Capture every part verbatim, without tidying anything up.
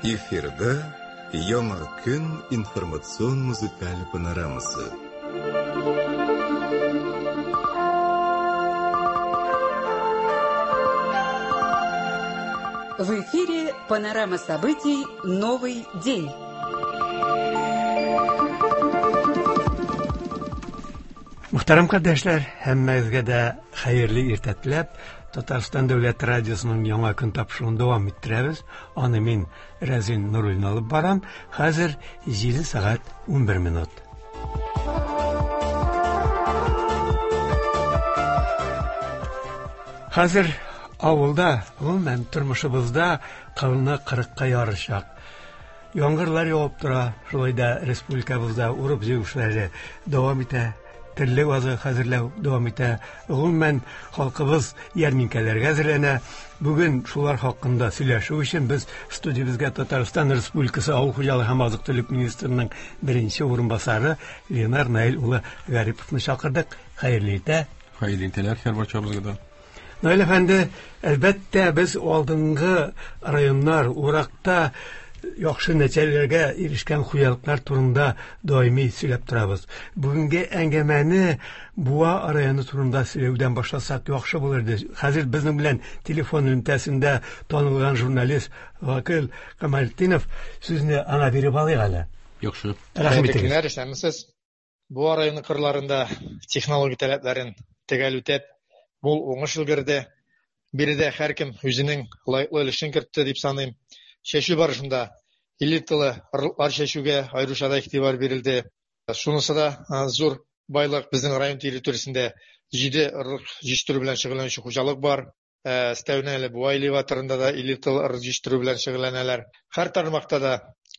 Эфирда Яңа көн информацион музыкаль панорамасы. В эфире панорама событий «Новый день». Мөхтәрәм кардәшләр, һәммәгезгә дә хәерле иртә теләп, Татарстан Дәүләт радиосының яңа көн тапшыруын дәвам иттерәбез. Аны мин Рәзин Нуруллин алып барам. Хәзер җиде сәгать унбер минут. Хәзер авылда, гомумән тормышыбызда кылны кырыкка ярышак. Яңгырлар явып тора, шулай да республикабызда урып җыю эшләре дәвам итә. Терлек азыгы хәзерләү дәвам итә. Гомумән халкыбыз ярминкәләргә әзерләнә. Бүген шулар хакында сөйләшү өчен без студиябезгә Татарстан Республикасы Авыл хуҗалыгы һәм азык-төлек министрының беренче урынбасары Ленар Наил улы Гариповны чакырдык. Хәерле иртә. Хәерле иртәләр һәр барчабызга да. Наил әфәнде, әлбәттә, без алдынгы районнар уракта яхшы нәтиҗәләргә ирешкән хуҗалыклар турында даими сөйләп торабыз. Бүгенге әңгәмәне Буа районы турында сөйләүдән башласак яхшы булыр иде. Хәзер безнең белән телефон элемтәсендә танылган журналист Вакил Камалтдинов, сүзне аңа биреп алыйк әле. Яхшы. Рәхмәт итегез. Көннәр, исәнмесез. Буа районы кырларында технология таләпләрен төгәл үтәп, мул уңыш өлгерде. Биредә һәркем үзенең лаеклы өлешен кертте дип саныйм. Чәчү барышында элиталы орлыклар чәчүгә аеруча да игътибар бирелде. Шунысы да зур байлык, безнең район территориясендә җиде орлык җитештерү белән шөгыльләнүче хуҗалык бар. Өстәвенә әле Буа элеваторында да элиталы орлык җитештерү белән шөгыльләнәләр. Һәр тармакта да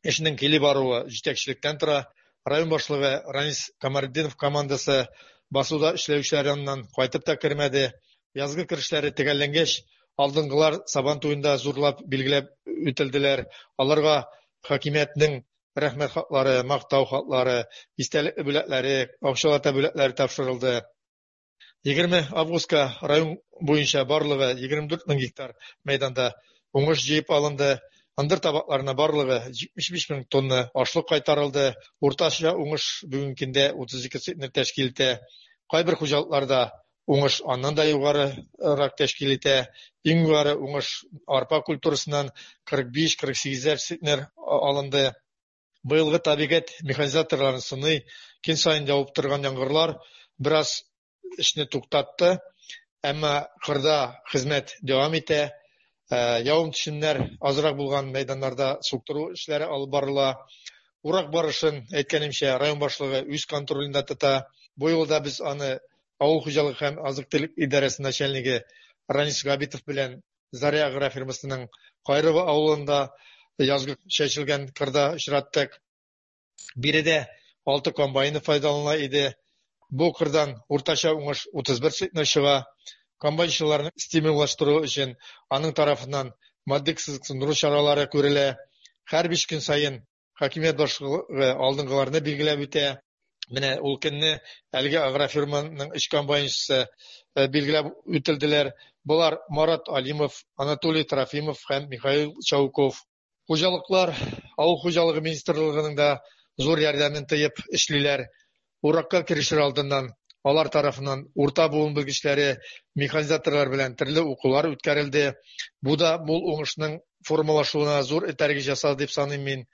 эшнең килеп баруы җитәкчелектән тора. Район башлыгы Ранис Камартдинов командасы басуда эшләүчеләр яныннан кайтып та кермәде. Язгы керешләре төгәлләнгәч, алдынгылар Сабан туенда зурлап билгеләп үтелделәр. Аларга хакимиятнең рәхмәт хатлары, мактау хатлары, истәлекле бүләкләре, акчалата бүләкләре тапшырылды. Егерме августка район буенча барлыгы егерме дүрт мең гектар мәйданда уңыш җыеп алынды. Ындыр табакларына барлыгы җитмеш биш мең тонна ашлык кайтарылды. Уртача уңыш бүгенге көндә утыз ике центнер тәшкил итә. Кайбер хуҗалыкларда уңыш аннан да югарырак тәшкил итә. Иң югары уңыш арпа культурасыннан кырык биш, кырык сигезәр центнер алынды. Быелгы табигать механизаторларын сыный, көн саен явып торган яңгырлар бераз эшне туктатты, әмма кырда хезмәт дәвам итә. Э, явым-төшемнәр азрак булган мәйданнарда суктыру эшләре алып барыла. Урак барышын, әйткәнемчә, район башлыгы үз контролендә тота. Бу юлда без аны Авыл хуҗалыгы һәм азык-төлек идарәсе начальнигы Ранис Габитов белән Заря агрофирмасының Кайрыво авылында язгы чәчелгән кырда очраттык. Биредә алты комбайны файдаланыла иде. Бу кырдан уртача уңыш утыз бер центнер чыга. Комбайнчыларны стимуллаштыру өчен аның тарафыннан матди кызыксындыру чаралары күрелә. Һәр биш көн саен хакимият башлыгы алдынгыларны билгеләп үтә. Менә ул көнне әлеге агрофирманың өч комбайнчысы, э, билгеләп үтелделәр. Болар Марат Алимов, Анатолий Трофимов һәм Михаил Чауков. Хуҗалыклар Авыл хуҗалыгы министрлыгының да зур ярдәмен тоеп эшлиләр. Уракка керешер алдыннан алар тарафыннан урта буын белгечләре, механизаторлар белән төрле укулар үткәрелде. Бу да мул уңышның формалашуына зур этәргеч ясады дип саныйм мин.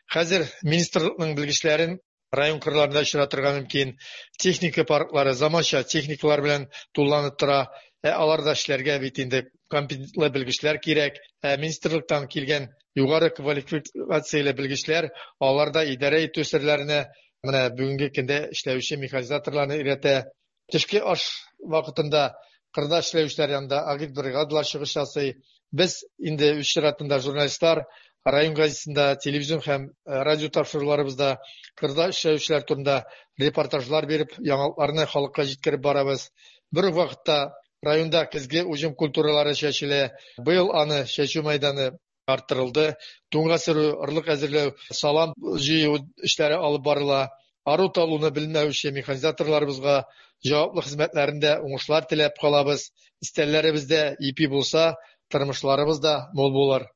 Хәзер министрлыкның белгечләрен район кырларында очратырга мөмкин. Техника парклары заманча техникалар белән тулыланып тора. Ә аларда эшләргә бит инде компетентлы белгечләр кирәк. Ә министрлыктан килгән югары квалификацияле белгечләр аларда идарә итү серләренә менә бүгенге көндә эшләүче механизаторларны өйрәтә. Төшке аш вакытында кырда эшләүчеләр янында агитбригадалар чыгыш ясый. Без инде үз чиратында журналистлар район газетасында, телевизион һәм, э, радио тапшыруларыбызда кырда эшләүчеләр турында репортажлар биреп, яңалыкларны халыкка җиткереп барабыз. Бер үк вакытта районда көзге уҗым культуралары чәчелә. Быел аны чәчү мәйданы арттырылды. Туңга сөрү, орлык әзерләү, салам җыю эшләре алып барыла. Ару талуны белмәүче механизаторларыбызга җаваплы хезмәтләрендә уңышлар теләп калабыз. Истәләребездә ипи булса, тормышларыбыз да мул булыр.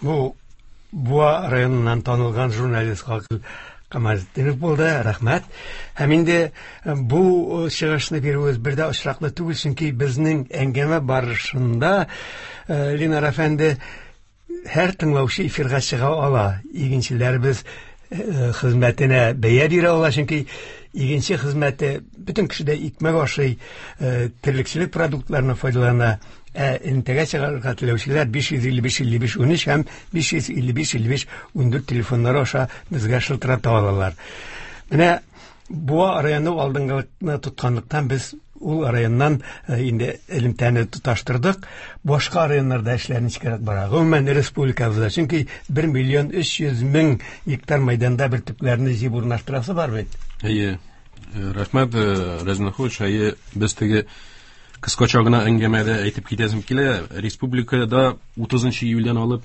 Бу Буа районыннан танылган журналист Гакыл Камалетдинов булды. Рәхмәт. Һәм инде бу чыгышны бирүебез бер дә очраклы түгел, чөнки безнең әңгәмә барышында Ленар әфәнде һәр тыңлаучы эфирга чыга ала. Игенчеләребез хезмәтенә бәя бирә ала, чөнки игенче хезмәте бөтен кеше дә икмәк ашый, терлекчелек продуктларына файдалана. Ә элемтәгә чыгарга теләүчеләр биш йөз илле биш илле биш унөч һәм биш йөз илле биш илле биш ундүрт телефоннары аша безгә шылтырата алалар. Менә Буа районы алдынгылыкны тотканлыктан без ул районнан инде элемтәне тоташтырдык. Башка районнарда эшләр ничегрәк бара? Гомумән республикабызда, чөнки бер миллион өч йөз мең гектар мәйданда бөртекләрне җыеп урнаштырасы бар бит. Әйе, рәхмәт, Рәзин Ахович. Әйе, без теге кыскача гына әңгәмәдә әйтеп китәсем килә. Республикада утызынчы июльдән алып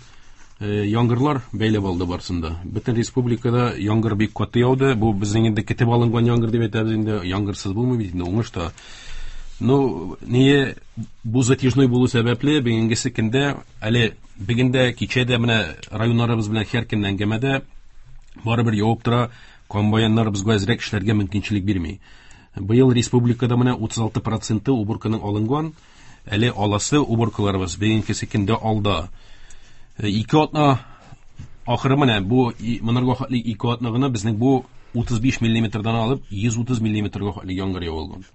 яңгырлар бәйләп алды барсында. Бөтен республикада яңгыр бик каты яуды. Бу безнең инде көтеп алынган яңгыр дип әйтәбез инде. Яңгырсыз булмый бит инде уңыш та. Ну, ние бу затяжной булу сәбәпле бүгенгесе көндә әле бүген дә кичә дә менә районнарыбыз белән һәр көнне әңгәмәдә барыбер явып тора. Комбайннар безгә әзрәк эшләргә мөмкинчелек бирми. Быел республикада менә утыз алты проценты уборканың алынган, әле аласы уборкаларыбыз бүгенгесе көндә алда. Ике атна ахыры менә бу монарга хәтле ике атна гына безнең бу утыз биш миллиметрдан алып йөз утыз миллиметрга хәтле яңгыр явылган.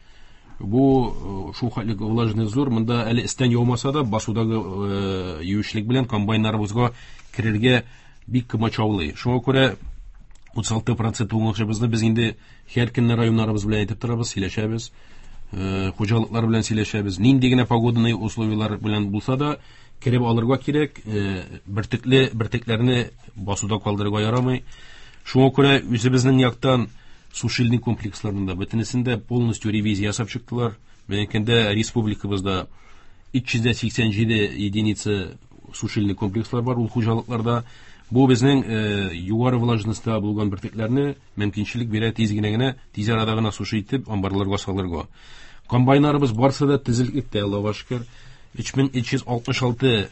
Бу шул хәтле влажный зур, монда әле истән яумаса да басудагы юешлек белән комбайннарыбызга керергә бик комачаулый. Шуңа күрә утыз алты процент уңышыбызны без инде һәр көнне районнарыбыз белән әйтеп торабыз, сөйләшәбез, хуҗалыклар белән сөйләшәбез. Нинди генә погодный условиялар белән булса да кереп алырга кирәк, бөртекле бөртекләрне басуда калдырырга ярамый. Шуңа күрә үзебезнең яктан сушильный комплексларында бөтенесендә полностью ревизия ясап чыктылар. Бүгенге көндә республикабызда өч йөз сиксән җиде единица сушильный комплекслар бар ул хуҗалыкларда. Бу безнең югары влажностьта булган бөртекләрне мөмкинчелек бирә тиз генә генә, тиз арада гына суши итеп амбарларга салырга. Комбайннарыбыз барсы да тезелектә, Аллага шөкер. Өч мең өч йөз алтмыш алты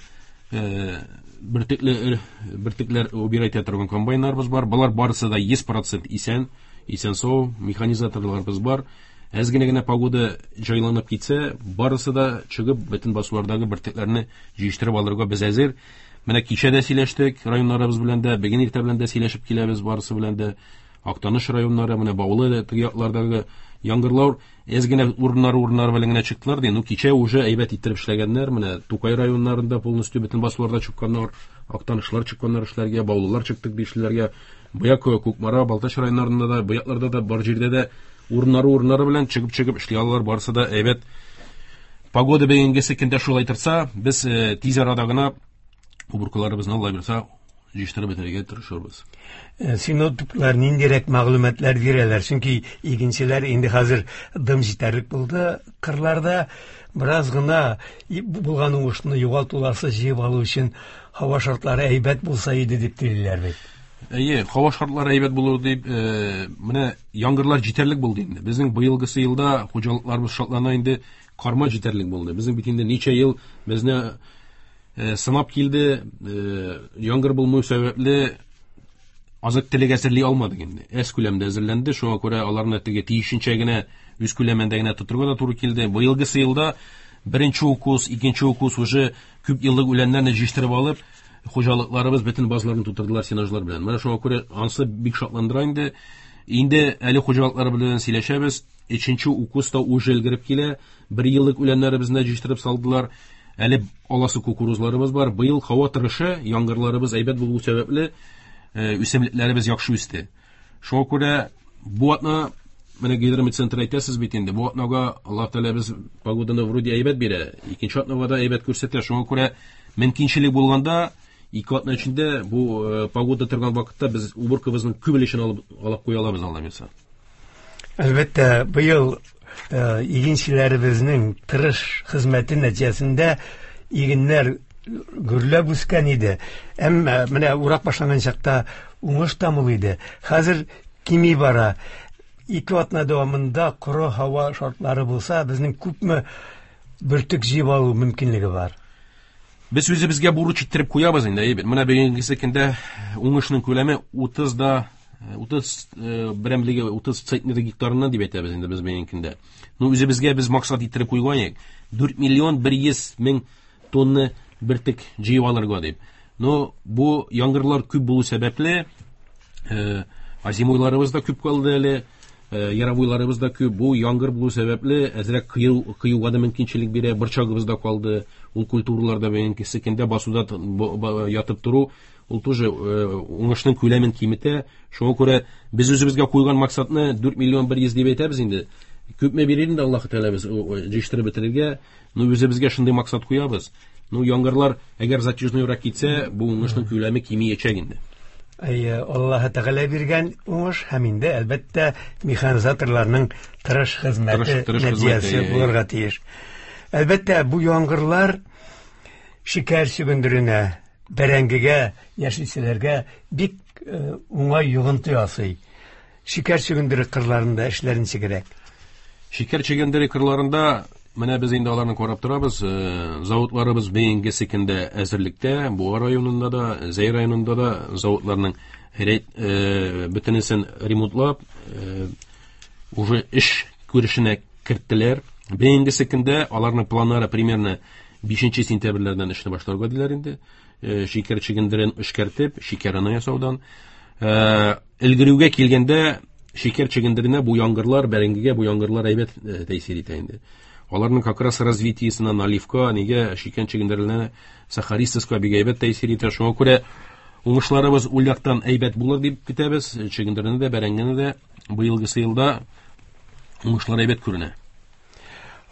бөртекле бөртекләр убирать итә торган комбайннарыбыз бар. Болар барысы да йөз процент исән, исән сау механизаторларыбыз бар. Әз генә генә погода җайланып китсә, барысы да чыгып бөтен басулардагы бөртекләрне җыештырып алырга без әзер. Менә кичә дә сөйләштек районнарыбыз белән дә, бүген иртә белән дә сөйләшеп киләбез барысы белән дә. Актаныш районнары, менә Баулы теге яклардагы яңгырлар әз генә урыннары урыннары белән генә чыктылар ди. Ну кичә уже әйбәт иттереп эшләгәннәр. Менә Тукай районнарында полностью бөтен басуларда чыкканнар, Актанышлар чыкканнар эшләргә, Баулылар чыктык дишләргә. Бая Кукмара, Балтач районнарында да, бу якларда да, бар җирдә дә урыннары урыннары белән чыгып-чыгып эшли алалар, барысы да әйбәт. Погода бүгенгесе көндә шулай торса, без тиз арада гына уборкаларыбызны Алла бирсә җыештырып бетерергә тырышырбыз. Синоптиклар ниндирәк мәгълүматлар бирәләр? Чөнки игенчеләр инде хәзер дым җитәрлек булды. Кырларда бераз гына булган уңышны югалтуларсыз җыеп алу өчен һава шартлары әйбәт булса иде дип телиләр бит. Әйе, һава шартлары әйбәт булыр дип, менә яңгырлар җитәрлек булды инде. Безнең быелгысы елда хуҗалыкларыбыз шатлана инде, карма җитәрлек булды. Безнең бит инде ничә ел безне сынап килде, яңгыр булмау сәбәпле азык телек әзерли алмадык инде. Әз күләмдә әзерләнде, шуңа күрә аларны теге тиешенчә генә үз күләмендә генә тотырга да туры килде. Быелгысы елда беренче укус, икенче укус уже күп еллык үләннәрне җыештырып алып, хуҗалыкларыбыз бөтен базларын тутырдылар сенажлар белән. Менә шуңа күрә ансы бик шатландыра инде. Инде әле хуҗалыклар белән сөйләшәбез. Өченче укус та уже өлгереп килә. Бер еллык үләннәребезне җыештырып салдылар. Әле аласы кукурузларыбыз бар. Быел һава торышы, яңгырларыбыз әйбәт булу сәбәпле, үсемлекләребез яхшы үсте. Шуңа күрә бу атна менә гидрометцентр әйтәсез бит инде. Бу атнага Аллаһ Тәгалә без погоданы вроде әйбәт бирә, икенче атнага да әйбәт күрсәтә. Шуңа күрә мөмкинчелек булганда ике атна эчендә бу погода торган вакытта без уборкабызның күп өлешен алып алып куя алабыз, Алла бирсә. Әлбәттә, быел игенчеләребезнең тырыш хезмәте нәтиҗәсендә игеннәр гөрләп үскән иде. Әмма менә урак башланган чакта уңыш та мул иде. Хәзер кими бара. Ике атна дәвамында коры һава шартлары булса, безнең күпме бөртек җыеп алу мөмкинлеге бар? Без үзебезгә бурыч иттереп куябыз инде, әйбәт. Менә бүгенге көндә уңышның күләме утыз да утыз берәмлеге утыз центнер гектарыннан дип әйтәбез инде без бүгенге көндә. Ну үзебезгә без максат иттереп куйган идек. дүрт миллион бер йөз мең тонна бөртек җыеп алырга дип. Но бу яңгырлар күп булу сәбәпле, озимойларыбыз да күп калды әле, яровойларыбыз да күп. Бу яңгыр булу сәбәпле әзрәк кыю кыюга да мөмкинчелек бирә, борчагыбыз да калды. Ул культураларда бүгенге көндә басуда ятып тору, ул тоже уңышның күләмен киметә. Шуңа күрә без үзебезгә куйган максатны дүрт миллион бер йөз дип әйтәбез инде. Күпме бирер инде Аллаһ Тәгалә без җыештырып бетерергә, ну үзебезгә шундый максат куябыз. Ну яңгырлар әгәр затяжнойрак китсә, бу уңышның күләме кимиячәк инде. Әйе, Аллаһ Тәгалә биргән уңыш һәм инде әлбәттә механизаторларның тырыш хезмәте нәтиҗәсе булырга тиеш. Әлбәттә, бу яңгырлар шикәр чөгендеренә, бәрәңгегә, яшелчәләргә бик уңай йогынты ясый. Шикәр чөгендере кырларында эшләр ничегрәк? Шикәр чөгендере кырларында менә без инде аларны карап торабыз. Заводларыбыз бүгенге көндә әзерлектә, Буа районында да, Зәй районында да заводларның бөтенесен ремонтлап, уже эш күрешенә керттеләр. Бүгенге көндә аларның планнары примерно бишенче сентябрьләрдән эшне башларга диләр инде. Шикәр чөгендерен эшкәртеп, шикәрне ясаудан. Өлгерүгә килгәндә шикәр чөгендеренә бу яңгырлар, бәрәңгегә бу яңгырлар әйбәт тәэсир итә инде. Аларның как раз развитиесына, наливка, нигә шикәр чөгендеренә, сахаристовка бик әйбәт тәэсир итә. Шуңа күрә уңышларыбыз ул яктан әйбәт булыр дип көтәбез. Чөгендерне дә, бәрәңгене дә быелгысы елда уңышлар әйбәт күренә.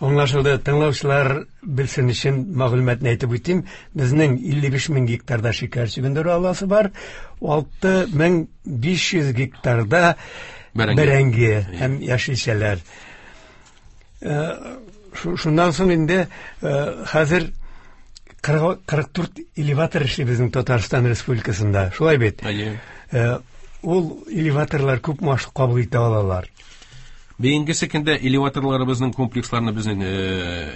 Аңлашылды. Тыңлаучылар белсен өчен мәгълүматны әйтеп үтим. Безнең илле биш мең гектарда шикәр чөгендере аласы бар, алты мең биш йөз гектарда бәрәңге һәм яшелчәләр. Шуннан соң инде хәзер кырык дүрт элеватор эшли безнең Татарстан Республикасында. Шулай бит? Әйе. Ул элеваторлар күп ашлык кабул итә алалар. Бүгенге көндә элеваторларыбызның комплексларны безнең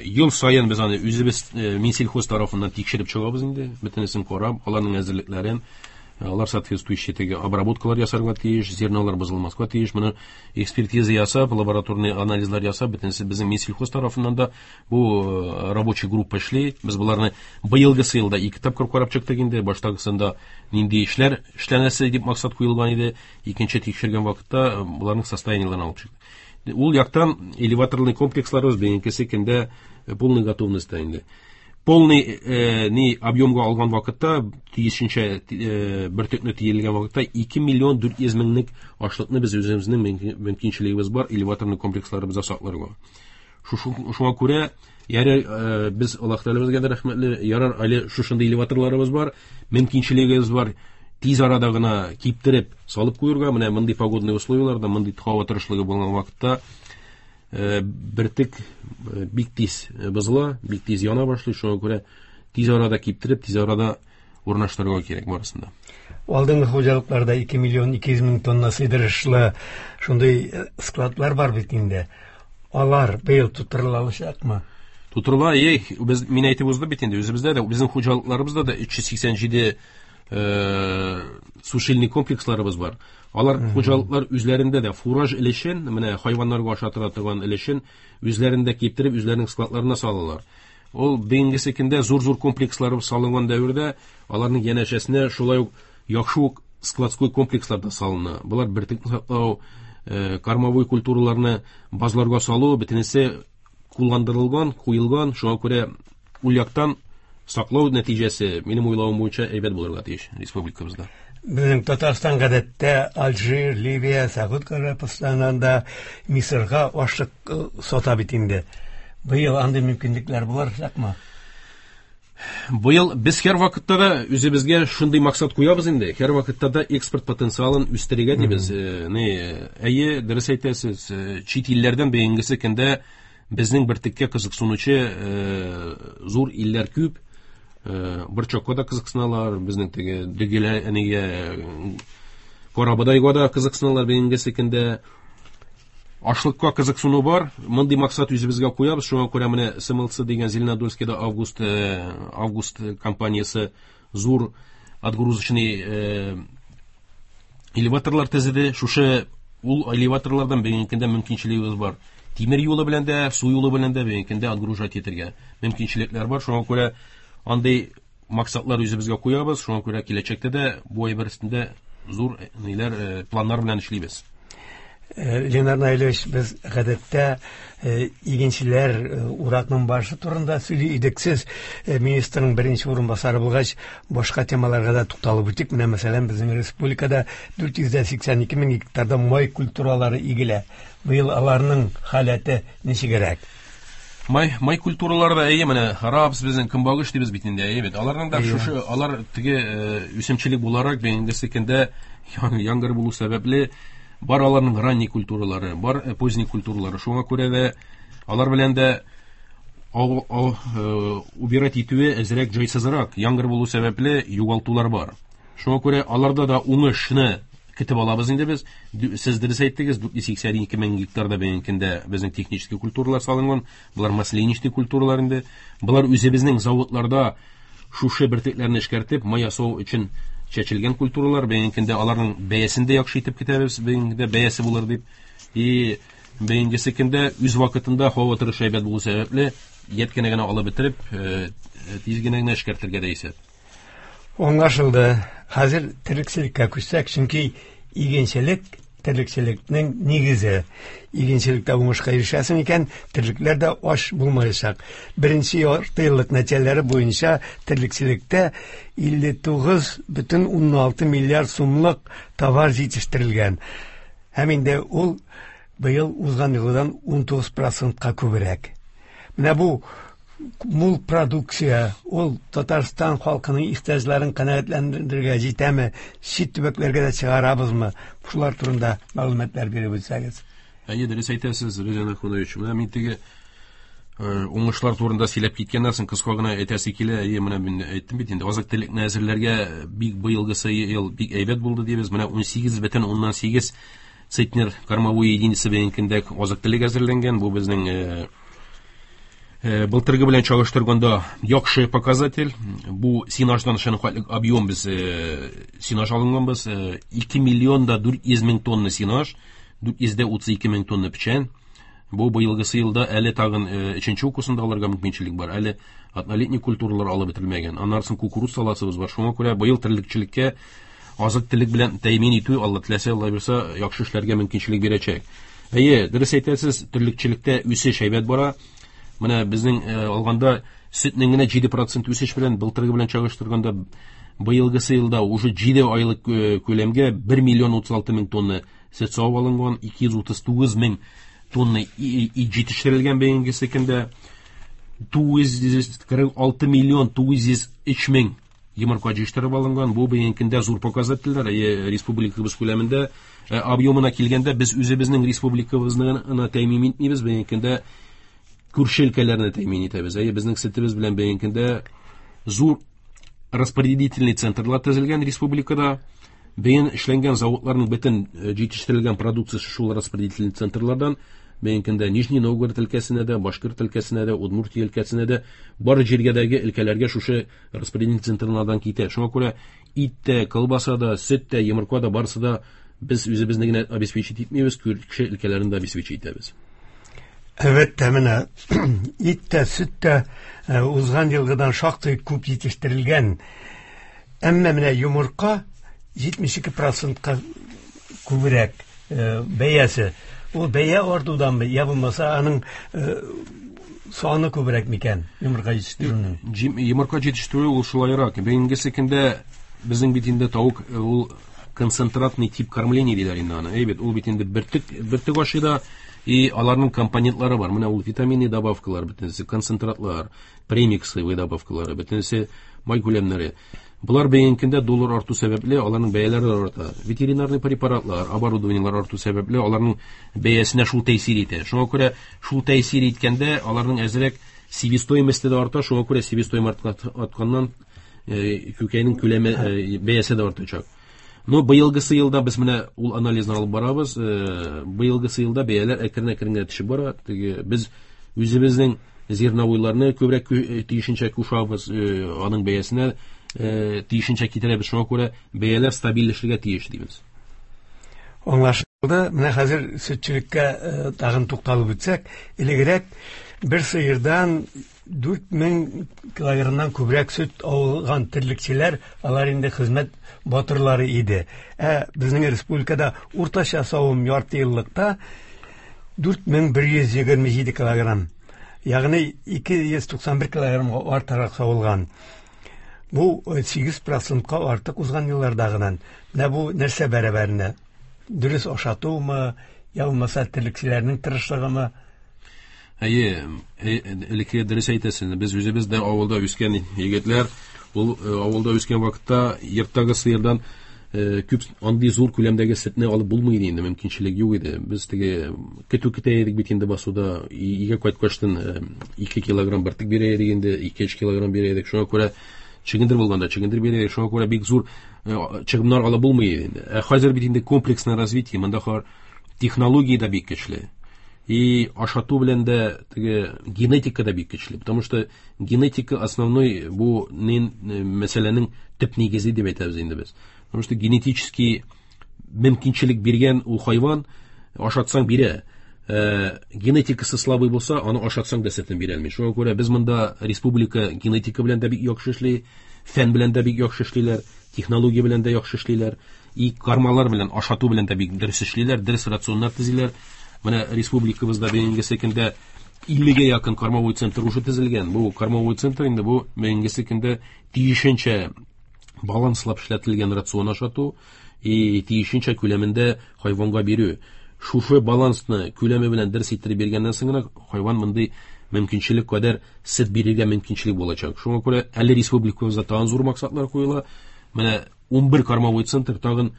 ел саен без аны үзебез Минсельхоз тарафыннан тикшереп чыгабыз инде, бөтенесен карап, аларның әзерлекләрен, алар соответствующий теге обработкалар ясарга тиеш, зернолар бозылмаска тиеш. Моны экспертиза ясап, лабораторный анализлар ясап, бөтенесе безнең Минсельхоз тарафыннан да бу рабочий группа эшли. Без боларны быелгысы елда ике тапкыр карап чыктык инде. Баштагысында нинди эшләр эшләнәсе дип максат куелган иде, икенче тикшергән вакытта буларның состояниеләрен алып чыктык. Ул яктан элеваторный комплексларыбыз бүгенге көндә полный готовностьта инде. Полный э, ни объемга алган вакытта, тиешенчә э, бөртекне тиелгән вакытта ике миллион дүрт йөз меңлек ашлыкны без үзебезнең мөмкинчелегебез бар элеваторный комплексларыбызда сакларга. Шуңа күрә ярар, э, без Аллаһ Тәгаләбезгә дә рәхмәтле, ярар әле шушындый элеваторларыбыз бар, мөмкинчелегебез бар. Тиз арада гына киптереп салып куярга, менә мондый погодный условияларда, мондый һава торышлыгы булган вакытта бөртек бик тиз бозыла, бик тиз яна башлый. Шуңа күрә тиз арада киптереп, тиз арада урнаштырырга кирәк барысын да. Алдынгы хуҗалыкларда ике миллион ике йөз мең тонна сыйдырышлы шундый складлар бар бит инде. Алар быел тутырыла алачакмы? Тутырыла, эй, без мин әйтеп уздым бит инде, үзебездә дә, безнең хуҗалыкларыбызда да өч йөз сиксән җиде сушильный комплексларыбыз бар. Алар хуҗалыклар үзләрендә дә фураж өлешен, менә хайваннарга ашатыла торган өлешен үзләрендә киптереп, үзләренең складларына салалар. Ул бүгенге көндә зур-зур комплекслар салынган дәвердә аларның янәшәсенә шулай ук яхшы ук складской комплекслар да салына. Булар бөртекне саклау, кормовой культураларны базларга салу бөтенесе кулландырылган, куелган. Шуңа күрә ул яктан саклау нәтиҗәсе минем уйлавым буенча әйбәт булырга тиеш республикабызда. Безнең Татарстан гадәттә Алжир, Ливия, Сәгуд Гарәбстаннан да Мисырга ашлык сата бит инде. Быел андый мөмкинлекләр булачакмы? Быел без һәр вакытта да үзебезгә шундый максат куябыз инде. Һәр вакытта да экспорт потенциалын үстерергә дибез. Ни, әйе, дөрес әйтәсез, чит илләрдән бүгенге көндә безнең бөртеккә кызыксынучы зур илләр күп. Борчакка да кызыксыналар, безнең теге дөгелә, әнигә, карабодайга да кызыксыналар бүгенге көндә. Ашлыкка кызыксыну бар. Мондый максат үзебезгә куябыз. Шуңа күрә менә С М Л Ц дигән Зеленодольскида Август Август компаниясе зур отгрузочный элеваторлар төзеде. Шушы ул элеваторлардан бүгенге көндә мөмкинчелегебез бар. Тимер юлы белән дә, су юлы белән дә бүгенге көндә отгружать итәргә мөмкинчелекләр бар. Шуңа күрә андый максатлар үзебезгә куябыз. Шуңа күрә киләчәктә дә бу әйбер өстендә зур ниләр, планнар белән эшлибез. Ленар Наилевич, без гадәттә игенчеләр, уракның барышы турында сөйли идек. Сез министрның беренче урынбасары булгач, башка темаларга да тукталып үтик. Менә, мәсәлән, безнең республикада дүрт йөз сиксән ике мең гектарда май культуралары игелә. Быел аларның халәте ничегрәк? Май май культуралары да, әйе, менә рапс, безнең көнбагыш дибез бит инде, әйе бит. Аларның да шушы, алар теге үсемчелек буларак бүгенге көндә яңгыр булу сәбәпле бар аларның ранний культуралары, бар поздний культуралары. Шуңа күрә дә алар белән дә убирать итүе әзрәк җайсызрак. Яңгыр булу сәбәпле югалтулар бар. Шуңа күрә аларда да уңышны көтеп алабыз инде без. Сез дөрес әйттегез, дүрт йөз сиксән ике мең гектарда бүгенге көндә безнең технический культуралар салынган. Болар масляничный культуралар инде. Болар үзебезнең заводларда шушы бөртекләрне эшкәртеп, май ясау өчен чәчелгән культуралар. Бүгенге көндә аларның бәясен дә яхшы итеп көтәбез, бүгенге көндә бәясе булыр дип. И бүгенге көндә үз вакытында һава торышы әйбәт булу сәбәпле, ят кенә генә алып бетереп, тиз генә генә эшкәртергә дә исәп. Аңлашылды. Хәзер терлекчелеккә күчсәк, чөнки игенчелек терлекчелекнең нигезе. Игенчелектә уңышка ирешәсең икән, терлекләр дә ач булмаячак. Беренче ярты еллык нәтиҗәләре буенча терлекчелектә илле тугыз бөтен уннан алты миллиард сумлык товар җитештерелгән. Һәм инде ул быел узган елдан унтугыз процентка күбрәк. Менә бу мул продукция ул Татарстан халкының ихтыяҗларын канәгатьләндерергә җитәме, чит төбәкләргә дә чыгарабызмы? Шулар турында мәгълүматлар биреп үтсәгез. Әйе, дөрес әйтәсез, Рөзән Ахунович. Менә мин теге уңышлар турында сөйләп киткәннән соң кыска гына әйтәсе килә. Әйе, менә мин әйттем бит инде, азык-төлекне әзерләргә бик быелгысы ел бик әйбәт булды дибез. Менә унсигез бөтен уннан сигез центнер кормовой единица бүгенге көндә азык-төлек әзерләнгән. Бу безнең былтыргы белән чагыштырганда яхшы показатель. Бу сенаждан шуны объем без сенаж алынганбыз. ике миллион да дүрт йөз мең тонна сенаж, дүрт йөз утыз ике мең тонна печән. Бу быелгысы елда әле тагын өченче укусында алырга мөмкинчелек бар. Әле однолетний культуралар алып бетерелмәгән. Аннан соң кукуруз саласыбыз бар. Шуңа күрә быел терлекчелеккә азык-төлек белән тәэмин итү, Алла теләсә, Алла бирсә, яхшы эшләргә мөмкинчелек бирәчәк. Әйе, дөрес әйтәсез, терлекчелектә үсеш әйбәт бара. Менә безнең алганда сөтнең генә җиде процент үсеш белән былтыргы белән чагыштырганда быелгысы елда уже җиде айлык күләмгә бер миллион утыз алты мең тонна сөт савып алынган, ике йөз утыз тугыз мең тонна ит җитештерелгән бүгенге көндә, тугыз йөз кырык алты миллион тугыз йөз өч мең йомырка җитештереп алынган. Бу бүгенге көндә зур показательләр. Республикабыз күләмендә объемына килгәндә без үзебезнең республикабызны гына тәэмин итмибез, бүгенге көндә күрше өлкәләрне тәэмин итәбез. Әйе, безнең сөтебез белән бүгенге көндә зур распределительный центрлар төзелгән республикада. Бүген эшләнгән заводларның бөтен җитештерелгән продукциясе шул распределительный центрлардан бүгенге көндә Нижний Новгород өлкәсенә дә, Башкорт өлкәсенә дә, Удмуртия өлкәсенә дә, бар җиргәдәге өлкәләргә шушы распределительный центрлардан китә. Шуңа күрә ит тә, колбаса да, сөт тә, йомырка да, барысы да без үзебезне генә обеспечить итмибез, күрше өлкәләрне дә обеспечить итәбез. Әлбәттә, менә ит тә, сөт тә узган елгыдан шактый күп җитештерелгән. Әмма менә йомырка җитмеш ике процентка күбрәк бәясе. Ул бәя артуданмы, я булмаса аның саны күбрәк микән йомырка җитештерүнең? Йомырка җитештерү ул шулайрак. Бүгенге көндә безнең бит инде тавык ул концентратный тип кормления диләр инде аны. Әйбәт, ул бит инде бөртек, бөртек ашый да, и аларның компонентлары бар. Менә ул витаминный добавкалар, бөтенесе концентратлар, премиксовый добавкалары, бөтенесе май күләмнәре. Болар бүгенге көндә доллар арту сәбәпле аларның бәяләре арта. Ветеринарный препаратлар, оборудованиелар арту сәбәпле аларның бәясенә шул тәэсир итә. Шуңа күрә шул тәэсир иткәндә аларның әзрәк себестоимости дә арта, шуңа күрә себестоимость артканнан күкәйнең күләме, бәясе дә артачак. Но быелгысы елда без менә ул анализны алып барабыз. Быелгысы елда бәяләр әкрен-әкрен генә төшеп бара. Теге без үзебезнең зерновойларны күбрәк тиешенчә кушабыз, аның бәясенә тиешенчә китерәбез. Шуңа күрә бәяләр стабильләшергә тиеш дибез. Аңлашылды. Менә хәзер сөтчелеккә тагын тукталып үтсәк, элегрәк бер сыердан дүрт мең килограммнан күбрәк сөт алган терлекчеләр, алар инде хезмәт батырлары иде. Ә безнең республикада уртача савым ярты еллыкта дүрт мең бер йөз егерме җиде килограмм, ягъни ике йөз туксан бер килограммга артыграк савылган. Бу сигез процентка артык узган еллардагыдан. Менә бу нәрсә бәрабәренә? Дөрес ашатумы, я булмаса терлекчеләрнең тырышлыгымы? Әйе, элекке дөрес әйтәсең. Без үзебез дә авылда үскән егетләр, ул авылда үскән вакытта йорттагы сыердан күп андый зур күләмдәге сөтне алып булмый иде инде, мөмкинчелек юк иде. Без теге көтү көтә идек бит инде басуда, өйгә кайткачтан ике килограмм бөртек бирә идек инде, ике-өч килограмм бирә идек. Шуңа күрә чөгендер булганда чөгендер бирә идек. Шуңа күрә бик зур чыгымнар алып булмый иде инде. Ә хәзер бит инде комплексное развитие, монда технология дә бик көчле. И ашату белән дә теге генетика да бик көчле, потому что генетика основной бу мәсьәләнең төп нигезе дип әйтәбез инде без. Потому что генетический мөмкинчелек биргән ул хайван ашатсаң бирә. Э, генетикасы слабый булса, аны ашатсаң да сөтен бирә алмый. Шуңа күрә без монда республика генетика белән дә бик яхшы эшли, фән белән дә бик яхшы эшлиләр, технология белән дә яхшы эшлиләр, и кармалар белән ашату белән дә бик дөрес эшлиләр, дөрес рационнар төзиләр. Менә республикабызда бүгенге көндә иллегә якын кормовой центр уже төзелгән. Бу кормовой центр инде бу бүгенге көндә тиешенчә баланслап эшләтелгән рацион ашату и тиешенчә күләмендә хайванга бирү. Шушы балансны күләме белән дөрес иттереп биргәннән соң гына хайван мондый мөмкинчелек кадәр сөт бирергә мөмкинчелек булачак. Шуңа күрә әле республикабызда тагын зур максатлар куела. Менә унбер кормовой центр тагын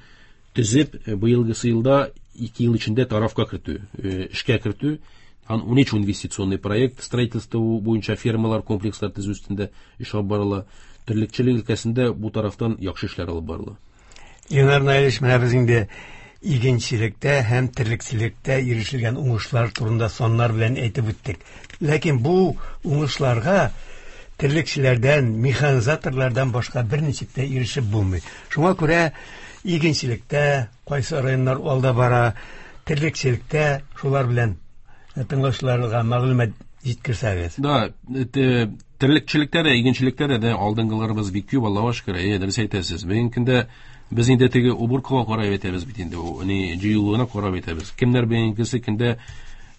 төзеп, быелгысы елда ике ел эчендә тарафка кертү, эшкә кертү, ан унөч инвестиционный проект строительство буенча фермалар, комплекслар төзү өстендә эш алып барыла. Терлекчелек өлкәсендә бу тарафтан яхшы эшләр алып барыла. Ленар Наилевич, менә без инде игенчелектә һәм терлекчелектә ирешелгән уңышлар турында саннар белән әйтеп үттек. Ләкин бу уңышларга терлекчеләрдән, механизаторлардан башка берничек тә ирешеп булмый. Шуңа күрә игенчелектә кайсы районнар алда бара, терлекчелектә шулар белән тыңлаучыларга мәгълүмат җиткерсәгез. Да, терлекчелектә дә, игенчелектә дә алдынгыларыбыз бик күп, Аллага шөкер. Әйе, дөрес әйтәсез. Бүгенге көндә без инде теге уборкага карап әйтәбез бит инде, ни җыелуына карап әйтәбез. Кемнәр бүгенге көндә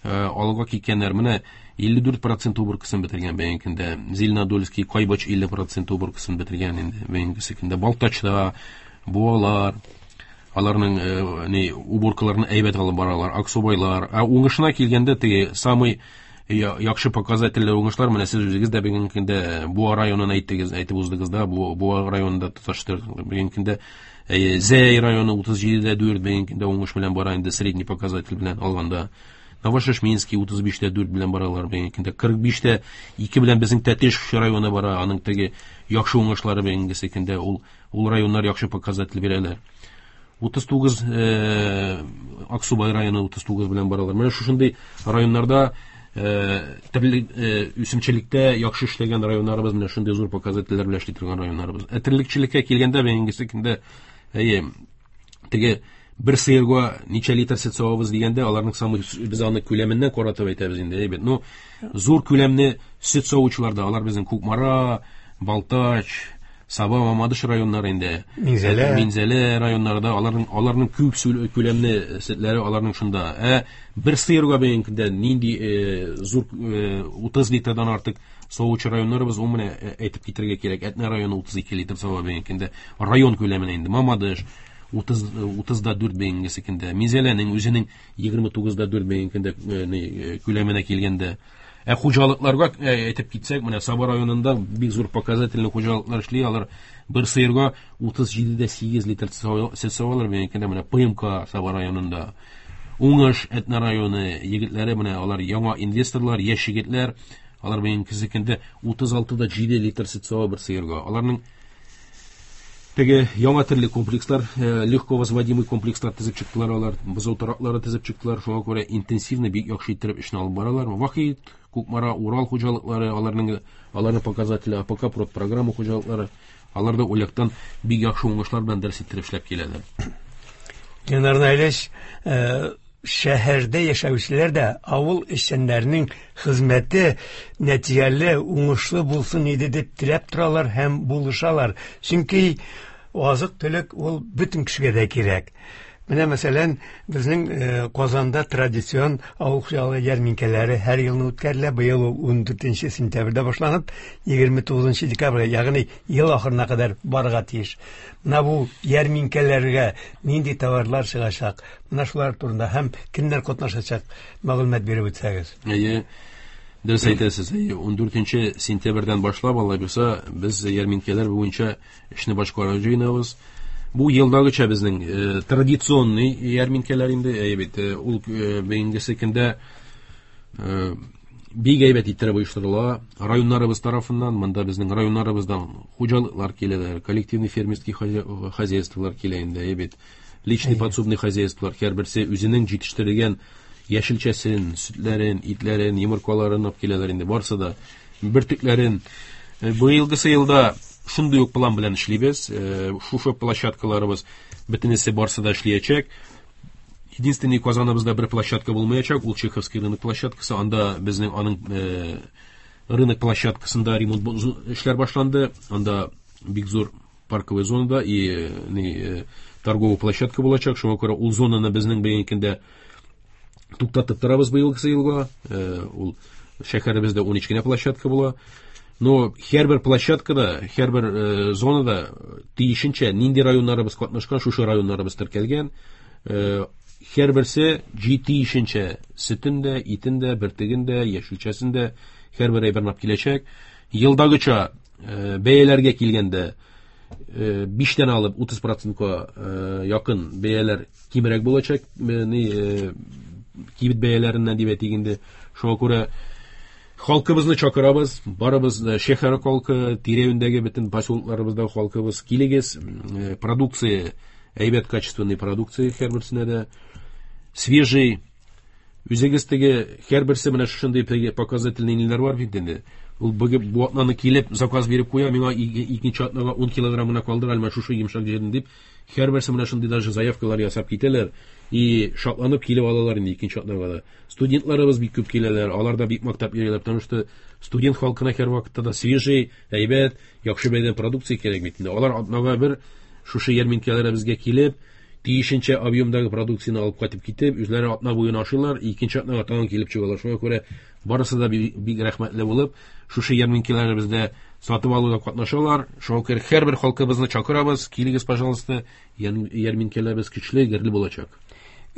алга киткәннәр? Менә илле дүрт процент уборкасын бетергән бүгенге көндә. Зеленодольский, Кайбыч илле процент уборкасын бетергән инде бүгенге көндә. Балтачта Буалар, аларның ни уборкаларын әйбәт алып баралар, Аксубайлар. Ә уңышына килгәндә теге самый яхшы показательле уңышлар менә сез үзегез дә бүгенге көндә Буа районын әйттегез, әйтеп уздыгыз да, Бу Буа районында тоташтыр. Бүгенге көндә Зәй районы утыз җиде дә дүрт бүгенге көндә уңыш белән бара инде средний показатель белән алганда. Новошешминский утыз биш тә дүрт белән баралар бүгенге көндә. Кырык биш тә ике белән безнең Тәтеш районы бара, аның теге яхшы уңышлары бүгенге көндә ул ул районнар яхшы показатель бирәләр. утыз тугыз Аксубай районы утыз тугыз белән баралар. Менә шушындый районнарда төрле үсемчелектә яхшы эшләгән районнарыбыз, менә шундый зур показательләр белән эшли торган районнарыбыз. Ә терлекчелеккә килгәндә бүгенге көндә әйе, теге бер сыерга ничә литр сөт савабыз дигәндә, аларның самый без аны күләменнән каратып әйтәбез инде, әйбәт. Ну, зур күләмле сөт савучыларда алар безнең Кукмара, Балтач, Саба, Мамадыш районнары инде. Минзәлә. Минзәлә районнарында аларның аларның күп күләмле сөтләре аларның шунда. Ә бер сыерга бүгенге көндә нинди зур утыз литрдан артык савучы районнарыбыз, ул менә әйтеп китергә кирәк. Әтнә районы утыз ике литр сава бүгенге көндә. Район күләменә инде. Мамадыш утыз утыз да дүрт бүгенге көндә. Минзәләнең үзенең егерме тугыз да дүрт бүгенге көндә күләменә килгәндә. Ә хуҗалыкларга әйтеп китсәк, менә Саба районында бик зур показательле хуҗалыклар эшли, алар бер сыерга утыз җиде дә сигез литр сөт савалар бүгенге көндә. Менә П М К Саба районында, Уңыш Әтнә районы егетләре, менә алар яңа инвесторлар, яшь егетләр, алар бүгенге көндә утыз алты да җиде литр сөт сава бер сыерга. Аларның Теге яңа төрле комплекслар, легко возводимый комплекслар төзеп чыктылар алар, бозау тораклары төзеп чыктылар. Шуңа күрә интенсивно бик яхшы иттереп эшне алып баралар. Вахит, Кукмара, Урал хуҗалыклары, аларның аларның показатели, А П К программа хуҗалыклары, алар да ул яктан бик яхшы уңышлар белән дөрес иттереп эшләп киләләр. Ленар Наилевич, шәһәрдә яшәүчеләр дә авыл эшчәннәренең хезмәте нәтиҗәле, уңышлы булсын иде дип теләп торалар һәм булышалар. Чөнки азык-төлек ул бөтен кешегә дә кирәк. Менә мәсәлән, безнең Казанда традицион авыл хуҗалыгы ярминкәләре һәр елны үткәрелә. Быел ул ун дүртенче сентябрьдә башланып, егерме тугызынчы декабрьгә, ягъни ел ахырына кадәр барырга тиеш. Менә бу ярминкәләргә нинди товарлар чыгачак? Менә шулар турында һәм кемнәр катнашачак мәгълүмат биреп үтсәгез. Әйе, дөрес әйтәсез. Әйе, ун дүртенче сентябрьдән башлап, алай булса, без ярминкәләр буенча эшне башкарырга җыенабыз. Бу елдагыча безнең, э, традиционный ярминкәләр инде, әйе бит, э, ул, э, бүгенгесе көндә, э, бик әйбәт иттереп оештырыла районнарыбыз тарафыннан. Монда безнең районнарыбыздан хуҗалыклар киләләр, коллективный фермерский хозяйстволар килә инде, әйе бит. Личный подсобный хозяйстволар, һәрберсе үзенең җитештергән яшелчәсен, сөтләрен, итләрен, йомыркаларын алып киләләр инде, барсы да бөртекләрен. Э, быелгысы елда шундый ук план белән эшлибез. Э, шушы площадкаларыбыз бөтенесе барсы да эшләячәк. Единственный Казаныбызда бер площадка булмаячак, ул Чеховский рынок площадкасы. Анда безнең аның, э, рынок площадкасында ремонт эшләр башланды. Анда бик зур парковый зонада и, э, ни, э, торговый площадка булачак. Шуңа күрә ул зонаны безнең бүгенге көндә туктатып торабыз быелгысы елга. Э, ул шәһәребездә ун өч кенә площадка була. Но һәрбер площадкада, һәрбер, э, зонада тиешенчә нинди районнарыбыз катнашкан, шушы районнарыбыз теркәлгән. Э, һәрберсе тиешенчә сөтен дә, итен дә, бөртеген дә, яшелчәсен дә һәрбер әйберне алып киләчәк. Елдагыча, э, бәяләргә килгәндә, э, биштән алып утыз процентка, э, якын бәяләр кимрәк булачак, э, ни, э, кибет бәяләреннән дип әйтик инде. Шуңа күрә халкыбызны чакырабыз, барыбыз, э, шәһәр халкы, тирә-юньдәге бөтен поселокларыбыздагы халкыбыз, килегез, э, продукция, әйбәт качественный продукция һәрберсенә дә, свежий, үзегез теге һәрберсе менә шушындый теге показательный ниләр бар бит инде. Ул бүген бу атнаны килеп заказ биреп куя, миңа икенче атнага ун килограммына калдыр, әле менә шушы йомшак җирен дип, һәрберсе менә шундый даже заявкалар ясап китәләр и шатланып килеп алалар инде икенче атнага да. Студентларыбыз бик күп киләләр, алар да бик мактап йөриләр, потому что студент халкына һәр вакытта да свежий, әйбәт, яхшы бәядән продукция кирәк бит инде. Алар атнага бер шушы ярминкәләребезгә килеп, тиешенчә объемдагы продукцияне алып кайтып китеп, үзләре атна буена ашыйлар, икенче атнага тагын килеп чыгалар. Шуңа күрә барысы да бик, бик рәхмәтле булып, шушы ярминкәләребездә сатып алуда катнашалар. Шуңа күрә һәрбер халкыбызны чакырабыз, килегез, пожалуйста, ярминкәләребез көчле, гөрле булачак.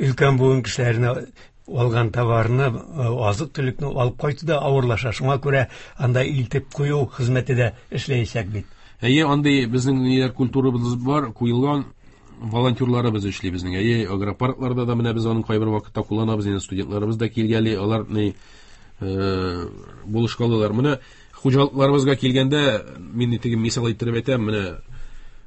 Өлкән буын кешеләренә алган товарны, э, азык-төлекне алып кайту да авырлаша. Шуңа күрә анда илтеп кую хезмәте дә эшләячәк бит. Әйе, андый безнең ниләр культурабыз бар, куелган волонтерларыбыз эшли безнең. Әйе, агропаркларда да менә без аның кайбер вакытта кулланабыз, инде студентларыбыз да килгәли, алар ни, э, булышкалылар. Менә хуҗалыкларыбызга килгәндә, мин теге мисал иттереп әйтәм, менә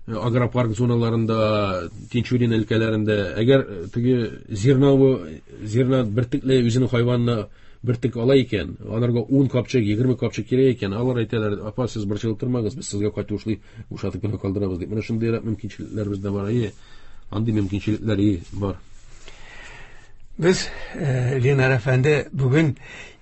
агропарк зоналарында, Тинчурин өлкәләрендә, әгәр теге зерновой, зерна бөртекле үзенең хайванына бөртек ала икән, аларга ун капчык, егерме капчык кирәк икән, алар әйтәләр, апа, сез борчылып тормагыз, без сезгә кайтушлый бушатып кенә калдырабыз дип. Менә шундыйрак мөмкинчелекләр бездә бар. Әйе, андый мөмкинчелекләр и бар. Без, э, Ленар әфәнде, бүген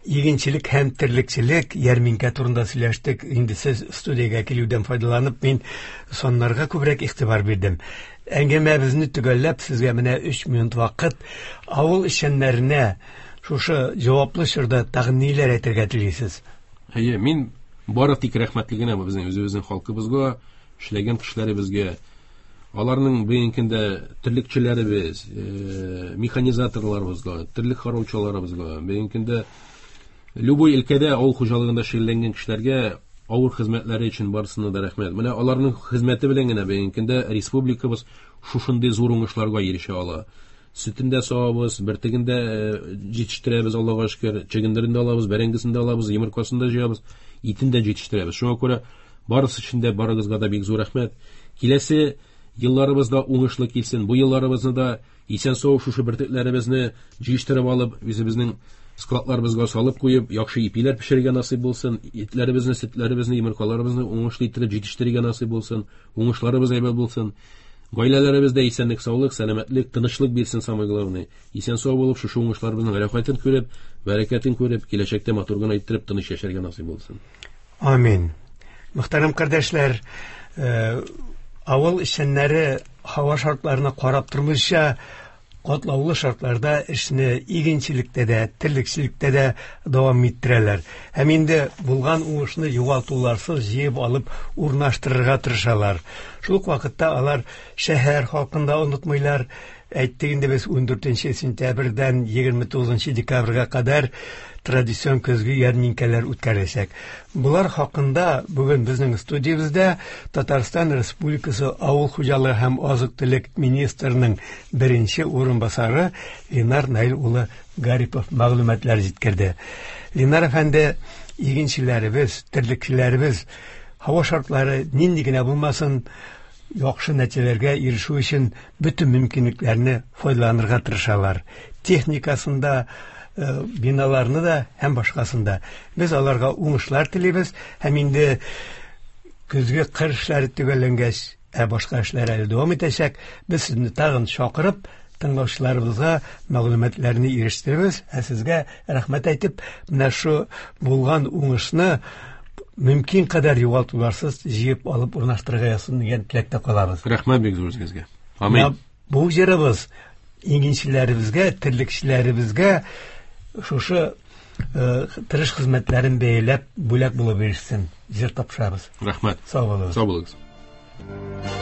игенчелек һәм терлекчелек ярминкә турында сөйләштек. Инде сез студиягә килүдән файдаланып, мин саннарга күбрәк игътибар бирдем. Әңгәмәбезне төгәлләп, сезгә менә өч минут вакыт. Авыл эшчәннәренә шушы җаваплы чорда тагын ниләр әйтергә телисез? Әйе, мин бары тик рәхмәтле генә безнең үзебезнең халкыбызга, эшләгән кешеләребезгә, аларның бүгенге көндә терлекчеләребез, э, механизаторларыбызга, терлек караучыларыбызга, бүгенге көндә любой өлкәдә авыл хуҗалыгында шөгыльләнгән кешеләргә авыр хезмәтләре өчен барысына да рәхмәт. Менә аларның хезмәте белән генә бүгенге көндә республикабыз шушындый зур уңышларга ирешә ала. Сөтен дә савабыз, бөртеген дә, э, җитештерәбез, Аллага шөкер, чөгендерен дә алабыз, бәрәңгесен дә алабыз, йомыркасын да җыябыз, итен дә җитештерәбез. Шуңа күрә Барысы өчен дә барыгызга да бик зур рәхмәт. Киләсе елларыбыз да уңышлы килсен. Бу елларыбызны да исән-сау шушы бөртекләребезне җыештырып алып, үзебезнең складларыбызга салып куеп, яхшы ипиләр пешерергә насыйп булсын, итләребезне, сөтләребезне, йомыркаларыбызны уңышлы иттереп җитештерергә насыйп булсын, уңышларыбыз әйбәт булсын. Гаиләләребездә исәнлек, саулык, сәламәтлек, тынычлык бирсен, самое главное. Исән-сау булып, шушы уңышларыбызның рәхәтен күреп, бәрәкәтен күреп, киләчәктә матур гына иттереп тыныч яшәргә насыйп булсын. Амин. Мөхтәрәм кардәшләр, авыл эшчәннәре һава шартларына карап тормыйча, катлаулы шартларда эшне игенчелектә дә, терлекчелектә дә дәвам иттерәләр. Һәм инде булган уңышны югалтуларсыз җыеп алып урнаштырырга тырышалар. Шул ук вакытта алар шәһәр халкын да онытмыйлар. Әйттек инде без ун дүртенче сентябрьдән егерме тугызынчы декабрьгә кадәр традицион көзге ярминкәләр үткәреләчәк. Булар хакында бүген безнең студиябездә Татарстан Республикасы Авыл хуҗалыгы һәм азык-төлек министрының беренче урынбасары Ленар Наил улы Гарипов мәгълүматлар җиткерде. Ленар әфәнде, игенчеләребез, терлекчеләребез һава шартлары нинди генә булмасын, яхшы нәтиҗәләргә ирешү өчен бөтен мөмкинлекләрне файдаланырга тырышалар. Техникасында, биналарны да һәм башкасында. Без аларга уңышлар телибез һәм инде көзге кыр эшләре төгәлләнгәч, ә башка эшләр әле дәвам итәчәк. Без сезне тагын чакырып, тыңлаучыларыбызга мәгълүматларны ирештеребез. Ә сезгә рәхмәт әйтеп, менә шу булган уңышны мөмкин кадәр югалтуларсыз җыеп алып урнаштырырга язсын дигән теләктә калабыз. Рәхмәт бик зур сезгә. Амин. Бу җырыбыз игенчеләребезгә, терлекчеләребезгә шушы тырыш хезмәтләрен бәяләп бүләк булып ирешсен. Җыр тапшырабыз. Рәхмәт. Сау булыгыз. Сау булыгыз.